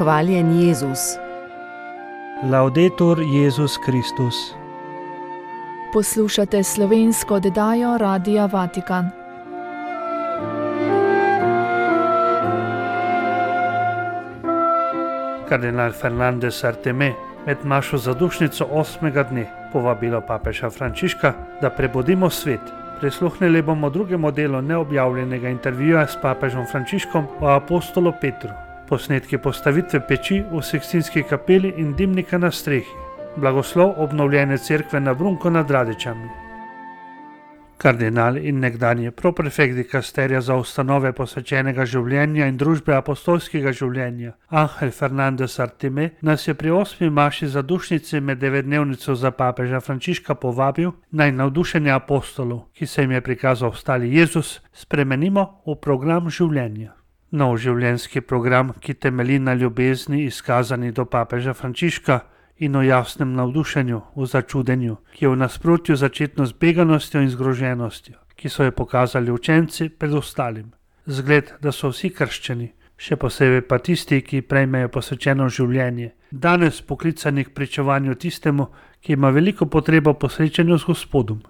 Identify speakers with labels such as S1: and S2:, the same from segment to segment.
S1: Hvaljen Jezus.
S2: Laudetur Jezus Kristus.
S3: Poslušate slovensko oddajo Radia Vatikan.
S2: Kardinal Fernandez Arteme med mašo zadušnico 8. dne povabilo papeža Frančiška, da prebudimo svet. Prisluhnili bomo drugemu delu neobjavljenega intervjuja s papežom Frančiškom o apostolu Petru, posnetki postavitve peči v Sikstinski kapeli in dimnika na strehi, blagoslov obnovljene cerkve na Brunku nad Radečami. Kardinal in nekdanji proprefekt dikasterija za ustanove posvečenega življenja in družbe apostolskega življenja Ángel Fernández Artime nas je pri 8. maši zadušnici med 9-dnevnico za papeža Frančiška povabil, naj navdušenje apostolov, ki se jim je prikazal stali Jezus, spremenimo v program življenja. Nov življenjski program, ki temelji na ljubezni izkazani do papeža Frančiška in o jasnem navdušenju, v začudenju, ki je v nasprotju začetno z beganostjo in zgroženostjo, ki so jo pokazali učenci pred ostalim. Zgled, da so vsi krščeni, še posebej pa tisti, ki prejmejo posvečeno življenje, danes poklicani k pričevanju tistemu, ki ima veliko potrebo po srečanju z Gospodom.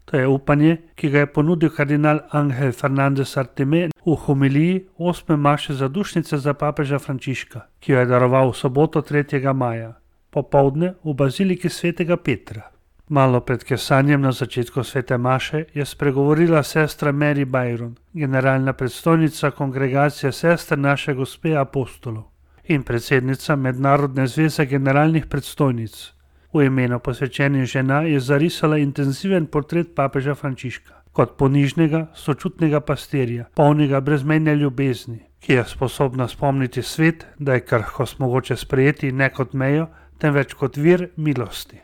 S2: To je upanje, ki ga je ponudil kardinal Ángel Fernández Artime v homiliji 8. maše zadušnice za papeža Frančiška, ki jo je daroval v soboto 3. maja. Popoldne v baziliki svetega Petra. Malo pred kesanjem na začetku svete maše je spregovorila sestra Mary Byron, generalna predstojnica kongregacije sester naše gospe apostolov in predsednica Mednarodne zveze generalnih predstojnic. V imenu posvečenih žena je zarisala intenziven portret papeža Frančiška kot ponižnega, sočutnega pastirja, polnega brezmejne ljubezni, ki je sposobna spomniti svet, da je krhkost mogoče sprejeti ne kot mejo, temveč kot vir milosti.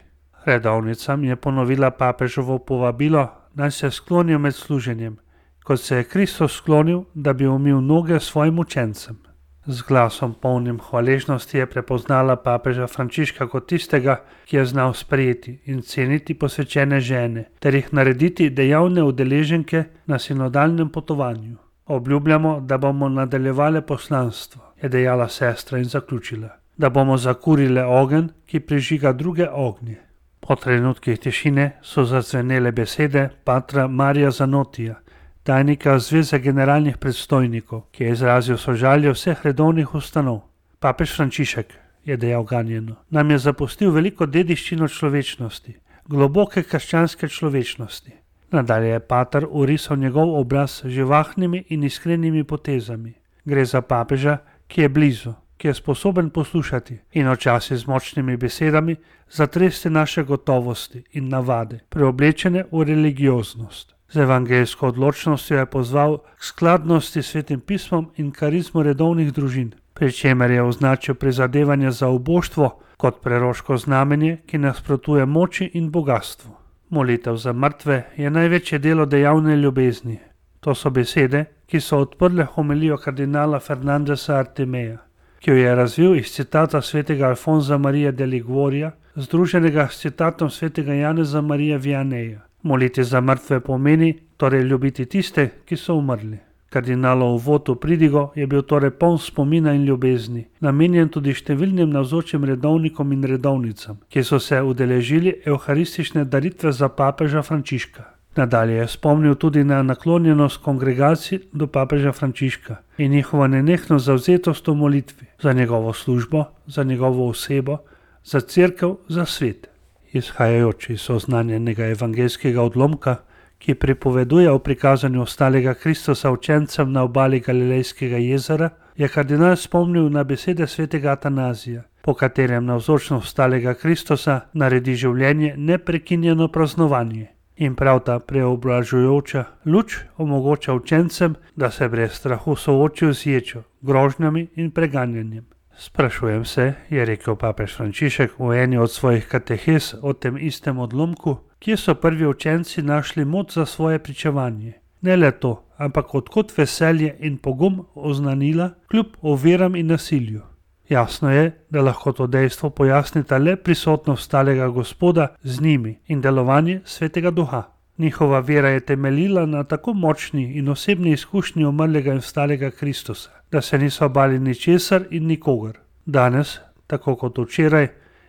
S2: Redovnicam je ponovila papežovo povabilo, naj se sklonijo med služenjem, kot se je Kristus sklonil, da bi umil noge svojim učencem. Z glasom polnim hvaležnosti je prepoznala papeža Frančiška kot tistega, ki je znal sprejeti in ceniti posvečene žene, ter jih narediti dejavne udeleženke na sinodalnem potovanju. Obljubljamo, da bomo nadaljevali poslanstvo, je dejala sestra in zaključila, da bomo zakurile ogenj, ki prižiga druge ognje. Po trenutkih tišine so zazvenele besede patra Marija Zanotija, tajnika Zveze generalnih predstojnikov, ki je izrazil sožalje vseh redovnih ustanov. Papež Frančišek, je dejal ganjeno, nam je zapustil veliko dediščino človečnosti, globoke krščanske človečnosti. Nadalje je pater orisal njegov obraz z živahnimi in iskrenimi potezami. Gre za papeža, ki je blizu, ki je sposoben poslušati in včasih z močnimi besedami zatresti naše gotovosti in navade, preoblečene v religioznost. Z evangeljsko odločnostjo je pozval k skladnosti s Svetim pismom in karizmo redovnih družin, pri čemer je označil prizadevanje za uboštvo kot preroško znamenje, ki nasprotuje moči in bogastvu. Molitev za mrtve je največje delo dejavne ljubezni. To so besede, ki so odprle homilijo kardinala Fernandeza Artimeja, ki jo je razvil iz citata svetega Alfonza Marija de Liguorija, združenega s citatom svetega Janeza Marija Vianeja. Moliti za mrtve pomeni torej ljubiti tiste, ki so umrli. Kardinalov uvod v pridigo je bil torej poln spomina in ljubezni, namenjen tudi številnim navzočim redovnikom in redovnicam, ki so se udeležili evharistične daritve za papeža Frančiška. Nadalje je spomnil tudi na naklonjenost kongregacij do papeža Frančiška in njihovo nenehno zavzetost v molitvi za njegovo službo, za njegovo osebo, za cerkev, za svet. Izhajajoč iz oznanjenega evangeljskega odlomka, ki pripoveduje o prikazanju ostalega Kristusa učencem na obali Galilejskega jezera, je kardinal spomnil na besede svetega Atanazija, po katerem navzočnost ostalega Kristusa naredi življenje neprekinjeno praznovanje. In prav ta preobražujoča luč omogoča učencem, da se brez strahu soočijo z ječo, grožnjami in preganjanjem. Sprašujem se, je rekel papež Frančišek v eni od svojih katehes o tem istem odlomku, kje so prvi učenci našli moč za svoje pričevanje. Ne le to, ampak odkot veselje in pogum oznanila kljub oviram in nasilju. Jasno je, da lahko to dejstvo pojasnita le prisotnost stalega Gospoda z njimi in delovanje svetega duha. Njihova vera je temeljila na tako močni in osebni izkušnji umrlega in vstalega Kristusa, da se niso bali ničesar in nikogar. Danes, tako kot včeraj,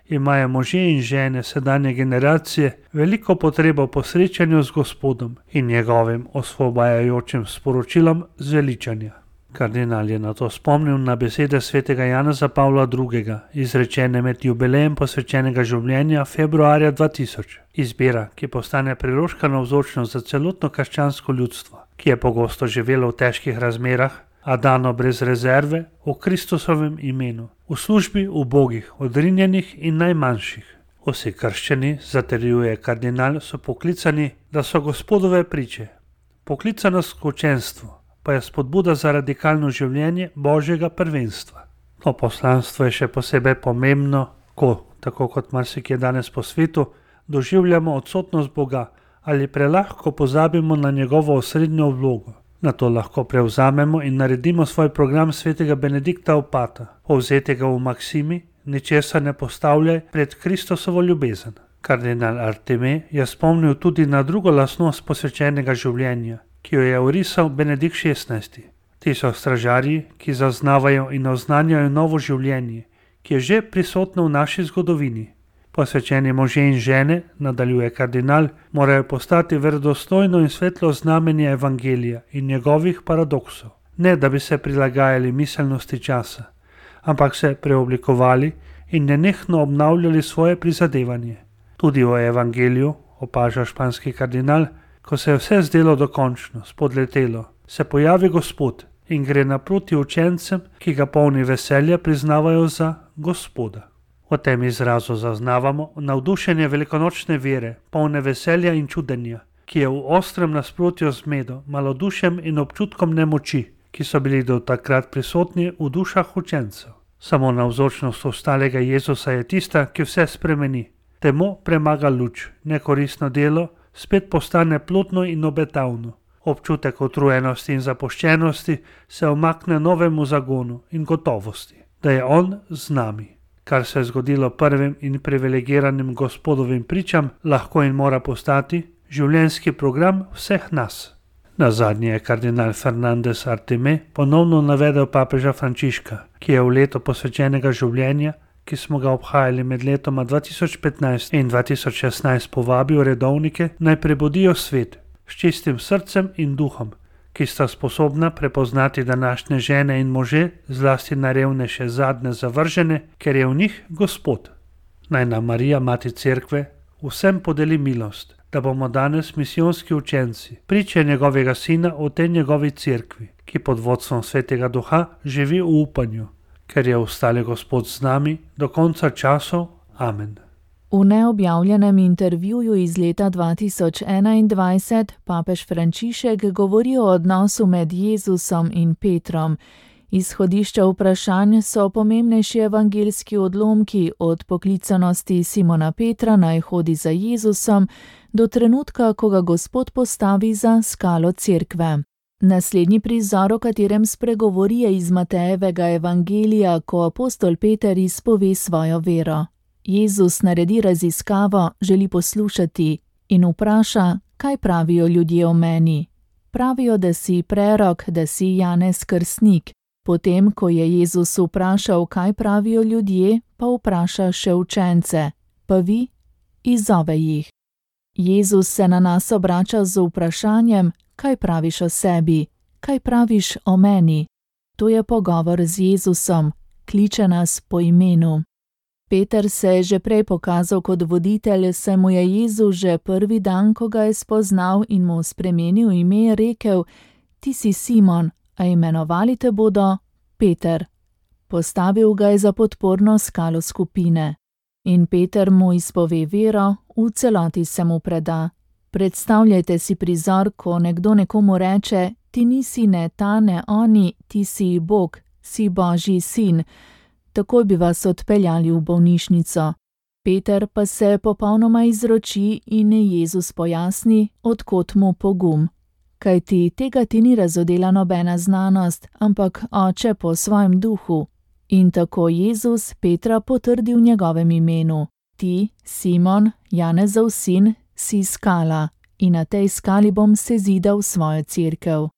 S2: imajo možje in žene sedanje generacije veliko potrebo po srečanju z Gospodom in njegovim osvobajajočim sporočilom zveličanja. Kardinal je na to spomnil na besede svetega Janeza Pavla II., izrečene med jubilejem posvečenega življenja februarja 2000. Izbira, ki postane priroška navzočnost za celotno krščansko ljudstvo, ki je pogosto živelo v težkih razmerah, a dano brez rezerve v Kristusovem imenu, v službi ubogih, odrinjenih in najmanjših. Vsi krščani, zatrjuje kardinal, so poklicani, da so Gospodove priče. Poklicanost k učenstvu pa je spodbuda za radikalno življenje Božjega prvenstva. To poslanstvo je še posebej pomembno, ko, tako kot marsikje danes po svetu, doživljamo odsotnost Boga ali prelahko pozabimo na njegovo osrednjo vlogo. Na to lahko prevzamemo in naredimo svoj program svetega Benedikta Opata, povzetega v maksimi: ničesar ne postavljaj pred Kristusovo ljubezen. Kardinal Artime je spomnil tudi na drugo lastnost posvečenega življenja, ki jo je orisal Benedikt XVI. Ti so stražarji, ki zaznavajo in oznanjajo novo življenje, ki je že prisotno v naši zgodovini. Posvečeni možje in žene, nadaljuje kardinal, morajo postati verodostojno in svetlo znamenje evangelija in njegovih paradoksov. Ne, da bi se prilagajali miselnosti časa, ampak se preoblikovali in nenehno obnavljali svoje prizadevanje. Tudi v evangeliju, opaža španski kardinal, ko se je vse zdelo dokončno, spodletelo, se pojavi Gospod in gre naproti učencem, ki ga polni veselja priznavajo za Gospoda. V tem izrazu zaznavamo navdušenje velikonočne vere, polne veselja in čudenja, ki je v ostrem nasprotju z zmedo, malodušjem in občutkom nemoči, ki so bili do takrat prisotni v dušah učencev. Samo navzočnost ostalega Jezusa je tista, ki vse spremeni. Temo premaga luč, nekoristno delo spet postane plodno in obetavno. Občutek utrujenosti in zapuščenosti se omakne novemu zagonu in gotovosti, da je On z nami. Kar se je zgodilo prvim in privilegiranim Gospodovim pričam, lahko in mora postati življenjski program vseh nas. Nazadnje je kardinal Fernández Artime ponovno navedel papeža Frančiška, ki je v leto posvečenega življenja, ki smo ga obhajali med letoma 2015 in 2016, povabil redovnike, naj prebudijo svet s čistim srcem in duhom, ki sta sposobna prepoznati današnje žene in može, zlasti najrevnejše zadnje zavržene, ker je v njih Gospod. Naj nam Marija, Mati Cerkve, vsem podeli milost, da bomo danes misijonski učenci, priče njegovega Sina v tej njegovi cerkvi, ki pod vodstvom Svetega Duha živi v upanju, ker je ostali Gospod z nami do konca časov. Amen.
S3: V neobjavljenem intervjuju iz leta 2021 papež Frančišek govori o odnosu med Jezusom in Petrom. Izhodišča vprašanj so pomembnejši evangeljski odlomki od poklicanosti Simona Petra naj hodi za Jezusom do trenutka, ko ga Gospod postavi za skalo cerkve. Naslednji prizor, o katerem spregovori, je iz Matejevega evangelija, ko apostol Peter izpove svojo vero. Jezus naredi raziskavo, želi poslušati in vpraša, kaj pravijo ljudje o meni. Pravijo, da si prerok, da si Janez Krstnik. Potem, ko je Jezus vprašal, kaj pravijo ljudje, pa vpraša še učence. Pa vi? Izzove jih. Jezus se na nas obrača z vprašanjem, kaj praviš o sebi, kaj praviš o meni. To je pogovor z Jezusom, kliče nas po imenu. Peter se je že prej pokazal kot voditelj, saj mu je Jezus že prvi dan, ko ga je spoznal in mu spremenil ime, rekel: Ti si Simon, a imenovali te bodo Peter. Postavil ga je za podporno skalo skupine. In Peter mu izpove vero, v celoti se mu preda. Predstavljajte si prizor, ko nekdo nekomu reče: Ti nisi ne ta, ne oni, ti si Bog, si Božji sin. Takoj bi vas odpeljali v bolnišnico. Peter pa se popolnoma izroči in Jezus pojasni, od kod mu pogum. Kajti tega ti ni razodela nobena znanost, ampak Oče po svojem duhu. In tako Jezus Petra potrdi v njegovem imenu. Ti, Simon, Janezov sin, si skala in na tej skali bom sezidal svojo cerkev.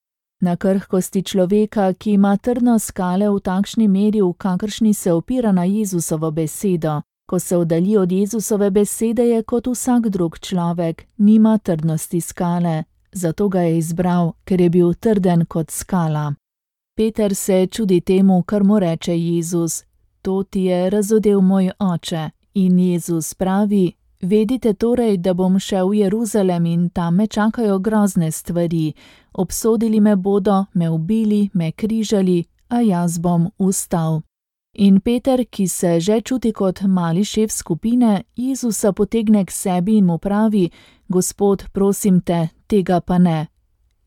S3: Na krhkosti človeka, ki ima trdno skale v takšni meri, v kakršni se opira na Jezusovo besedo. Ko se oddalji od Jezusove besede, je kot vsak drug človek, nima trdnosti skale. Zato ga je izbral, ker je bil trden kot skala. Peter se čudi temu, kar mu reče Jezus. To ti je razodel moj oče. In Jezus pravi: vedite torej, da bom šel v Jeruzalem in tam me čakajo grozne stvari. Obsodili me bodo, me ubili, me križali, a jaz bom vstal. In Peter, ki se že čuti kot mali šef skupine, Jezusa potegne k sebi in mu pravi: Gospod, prosim te, tega pa ne.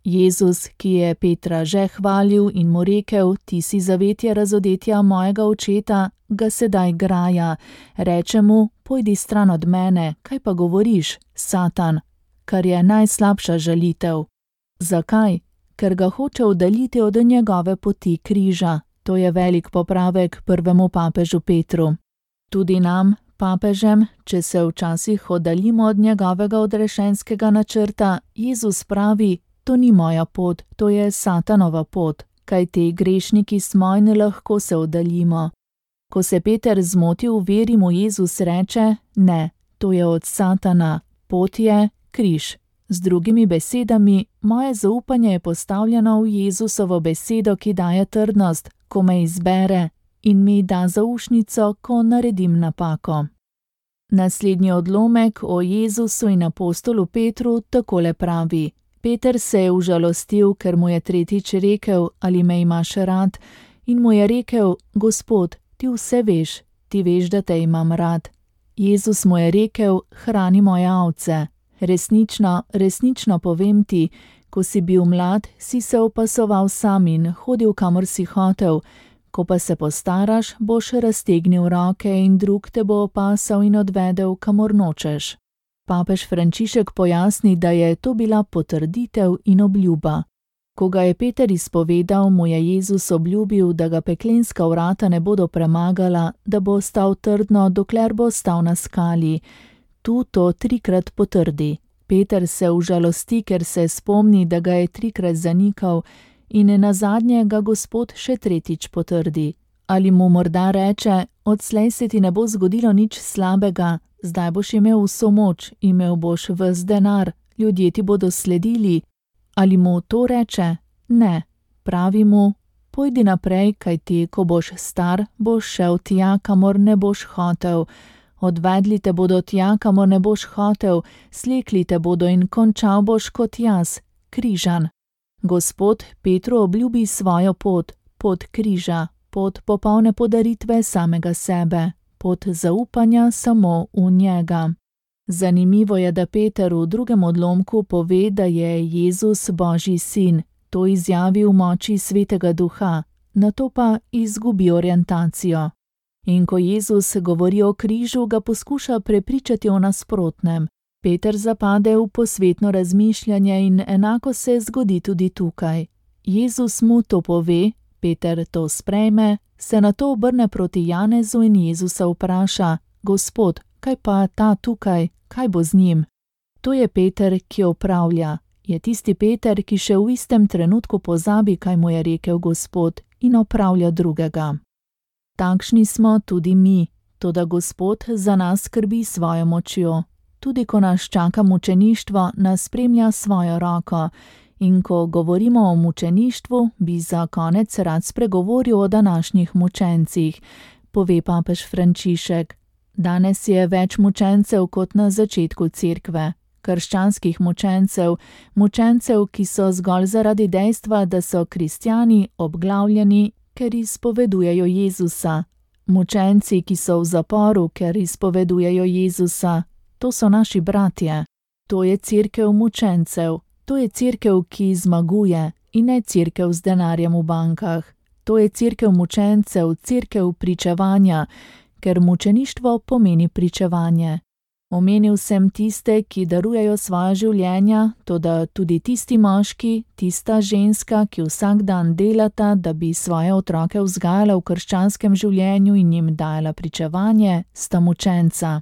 S3: Jezus, ki je Petra že hvalil in mu rekel: ti si zavetje razodetja mojega očeta, ga sedaj graja. Reče mu: pojdi stran od mene, kaj pa govoriš, Satan? Kar je najslabša žalitev. Zakaj? Ker ga hoče oddaljiti od njegove poti križa. To je velik popravek prvemu papežu Petru. Tudi nam, papežem, če se včasih oddaljimo od njegovega odrešenskega načrta, Jezus pravi: to ni moja pot, to je Satanova pot, kajti grešniki smo in lahko se oddaljimo. Ko se Peter zmoti v veri, mu Jezus reče: ne, to je od Satana, pot je križ. Z drugimi besedami, moje zaupanje je postavljeno v Jezusovo besedo, ki daje trdnost, ko me izbere, in mi da zaušnico, ko naredim napako. Naslednji odlomek o Jezusu in apostolu Petru takole pravi: Peter se je užalostil, ker mu je tretjič rekel: ali me imaš rad? In mu je rekel: Gospod, ti vse veš, ti veš, da te imam rad. Jezus mu je rekel: hrani moje ovce. Resnično, resnično povem ti, ko si bil mlad, si se opasoval sam in hodil, kamor si hotel. Ko pa se postaraš, boš raztegnil roke in drug te bo opasal in odvedel, kamor nočeš. Papež Frančišek pojasni, da je to bila potrditev in obljuba. Ko ga je Peter izpovedal, mu je Jezus obljubil, da ga peklenska vrata ne bodo premagala, da bo stal trdno, dokler bo stal na skali. Tu to trikrat potrdi. Peter se užalosti, ker se spomni, da ga je trikrat zanikal, in nazadnje ga Gospod še tretjič potrdi. Ali mu morda reče: odslej se ti ne bo zgodilo nič slabega, zdaj boš imel vso moč, imel boš ves denar, ljudje ti bodo sledili. Ali mu to reče? Ne. Pravi mu: pojdi naprej, kajti ko boš star, boš šel tja, kamor ne boš hotel. Odvedli te bodo tja, kamor ne boš hotel, slekli te bodo in končal boš kot jaz, križan. Gospod Petru obljubi svojo pot, pot križa, pot popolne podaritve samega sebe, pot zaupanja samo v njega. Zanimivo je, da Peter v drugem odlomku pove, da je Jezus Božji sin, to izjavi v moči Svetega Duha, nato pa izgubi orientacijo. In ko Jezus govori o križu, ga poskuša prepričati o nasprotnem. Peter zapade v posvetno razmišljanje in enako se zgodi tudi tukaj. Jezus mu to pove, Peter to sprejme, se nato obrne proti Janezu in Jezusa vpraša: Gospod, kaj pa ta tukaj, kaj bo z njim? To je Peter, ki opravlja. Je tisti Peter, ki še v istem trenutku pozabi, kaj mu je rekel Gospod, in opravlja drugega. Takšni smo tudi mi, toda Gospod za nas skrbi svojo močjo. Tudi ko nas čaka mučeništvo, nas spremlja svojo roko. In ko govorimo o mučeništvu, bi za konec rad spregovoril o današnjih mučencih, pove papež Frančišek. Danes je več mučencev kot na začetku cerkve. Krščanskih mučencev, mučencev, ki so zgolj zaradi dejstva, da so kristjani, obglavljeni, ker izpovedujejo Jezusa. Mučenci, ki so v zaporu, ker izpovedujejo Jezusa. To so naši bratje. To je cerkev mučencev. To je cerkev, ki zmaguje, in ne cerkev z denarjem v bankah. To je cerkev mučencev, cerkev pričevanja, ker mučeništvo pomeni pričevanje. Omenil sem tiste, ki darujejo svoja življenja, toda tudi tisti moški, tista ženska, ki vsak dan delata, da bi svoje otroke vzgajala v krščanskem življenju in jim dajala pričevanje, sta mučenca.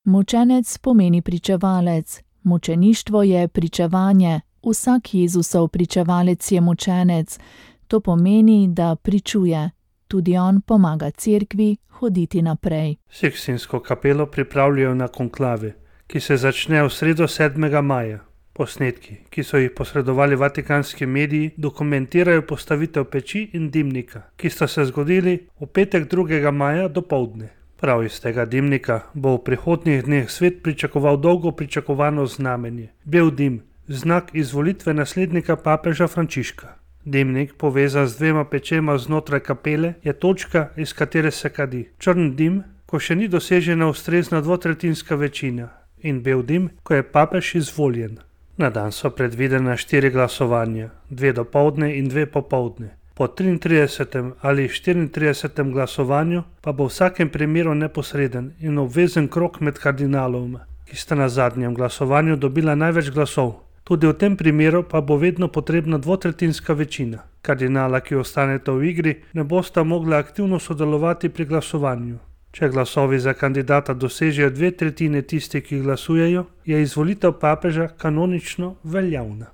S3: Mučenec pomeni pričevalec. Mučeništvo je pričevanje, Vsak Jezusov pričevalec je mučenec. To pomeni, da pričuje. Tudi on pomaga cerkvi hoditi naprej.
S2: Sikstinsko kapelo pripravljajo na konklave, ki se začne v sredo 7. maja. Posnetki, ki so jih posredovali vatikanski mediji, dokumentirajo postavitev peči in dimnika, ki sta se zgodili v petek 2. maja dopoldne. Prav iz tega dimnika bo v prihodnjih dneh svet pričakoval dolgo pričakovano znamenje. Bel dim, znak izvolitve naslednika papeža Frančiška. Dimnik, povezan z 2 pečema znotraj kapele, je točka, iz katere se kadi. Črn dim, ko še ni dosežena ustrezna dvotretjinska večina, in bel dim, ko je papež izvoljen. Na dan so predvidena 4 glasovanja, 2 dopoldne in 2 popoldne. Po 33. ali 34. glasovanju pa bo v vsakem primeru neposreden in obvezen krog med kardinaloma, ki sta na zadnjem glasovanju dobila največ glasov. Tudi v tem primeru pa bo vedno potrebna dvotretjinska večina. Kardinala, ki ostaneta v igri, ne bosta mogla aktivno sodelovati pri glasovanju. Če glasovi za kandidata dosežejo 2/3 tistih, ki glasujejo, je izvolitev papeža kanonično veljavna.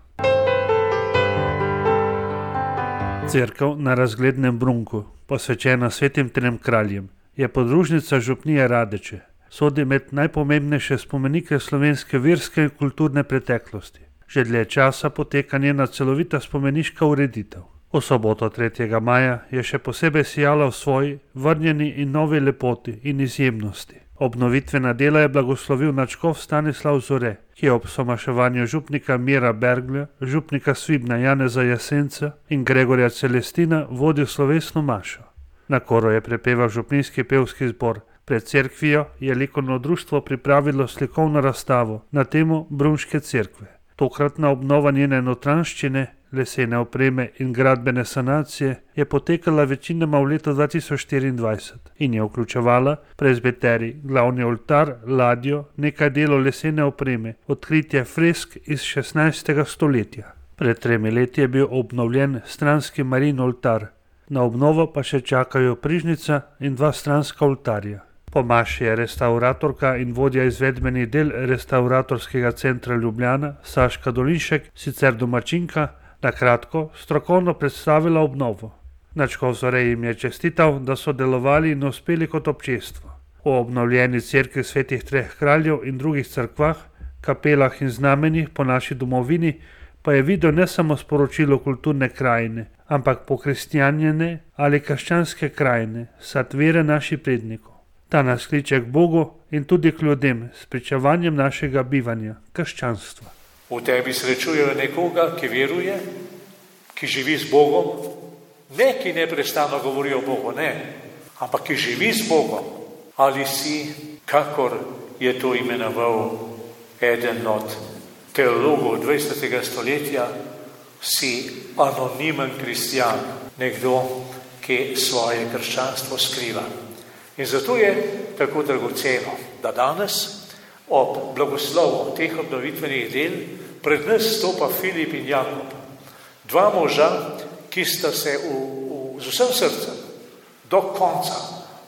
S2: Cerkev na Razglednem Brunku, posvečena svetim 3 kraljem, je podružnica župnije Radeče. Sodi med najpomembnejše spomenike slovenske verske in kulturne preteklosti. Že dlje časa poteka njena celovita spomeniška ureditev. V soboto 3. maja je še posebej sijala v svoji vrnjeni in novi lepoti in izjemnosti. Obnovitvena dela je blagoslovil nadškof Stanislav Zore, ki je ob somaševanju župnika Mira Berglja, župnika Svibna Janeza Jasenca in Gregorja Celestina vodil slovesno mašo. Na koru je prepeval župninski pevski zbor. Pred cerkvijo je likovno društvo pripravilo slikovno razstavo na temo Brunške cerkve. Tokratna obnova njene notranjščine, lesene opreme in gradbene sanacije je potekala večinoma v letu 2024 in je vključevala prezbiterij, glavni oltar, ladjo, nekaj delov lesene opreme, odkritje fresk iz 16. stoletja. Pred 3 leti je bil obnovljen stranski marin oltar, na obnovo pa še čakajo prižnica in 2 stranska oltarja. Po maši je restavratorka in vodja izvedbenih del Restavratorskega centra Ljubljana Saška Dolinšek, sicer domačinka, na kratko strokovno predstavila obnovo. Nadškof Zore jim je čestital, da so delovali in uspeli kot občestvo. V obnovljeni cerkvi svetih 3 kraljev in drugih cerkvah, kapelah in znamenjih po naši domovini pa je videl ne samo sporočilo kulturne krajine, ampak pokristjanjene ali krščanske krajine, sad vere naših prednikov. Ta nas kliče k Bogu in tudi k ljudem s pričevanjem našega bivanja, krščanstva.
S1: V tebi srečujejo nekoga, ki veruje, ki živi z Bogom, ne ki neprestano govori o Bogu, ne, ampak ki živi z Bogom. Ali si, kakor je to imenoval eden od teologov 20. stoletja, si anonimen kristjan, nekdo, ki svoje krščanstvo skriva. In zato je tako dragoceno, da danes ob blagoslovu teh obnovitvenih del pred nas stopa Filip in Jakob. 2 moža, ki sta se z vsem srcem do konca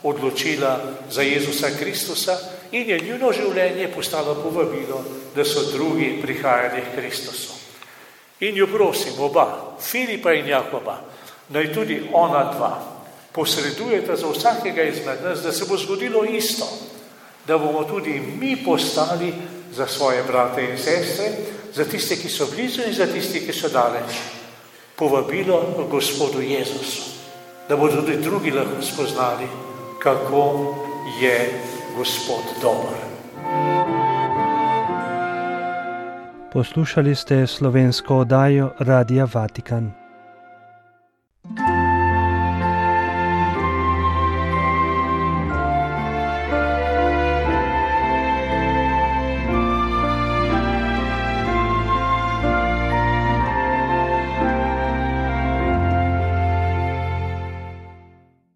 S1: odločila za Jezusa Kristusa in je njuno življenje postalo povabilo, da so drugi prihajali k Kristusu. In jo prosim, oba, Filipa in Jakoba, naj tudi ona 2 posredujete za vsakega izmed nas, da se bo zgodilo isto, da bomo tudi mi postali za svoje brate in sestre, za tiste, ki so blizu in za tiste, ki so daleč, povabilo Gospodu Jezusu, da bodo tudi drugi lahko spoznali, kako je Gospod dober.
S2: Poslušali ste slovensko oddajo Radia Vatikan.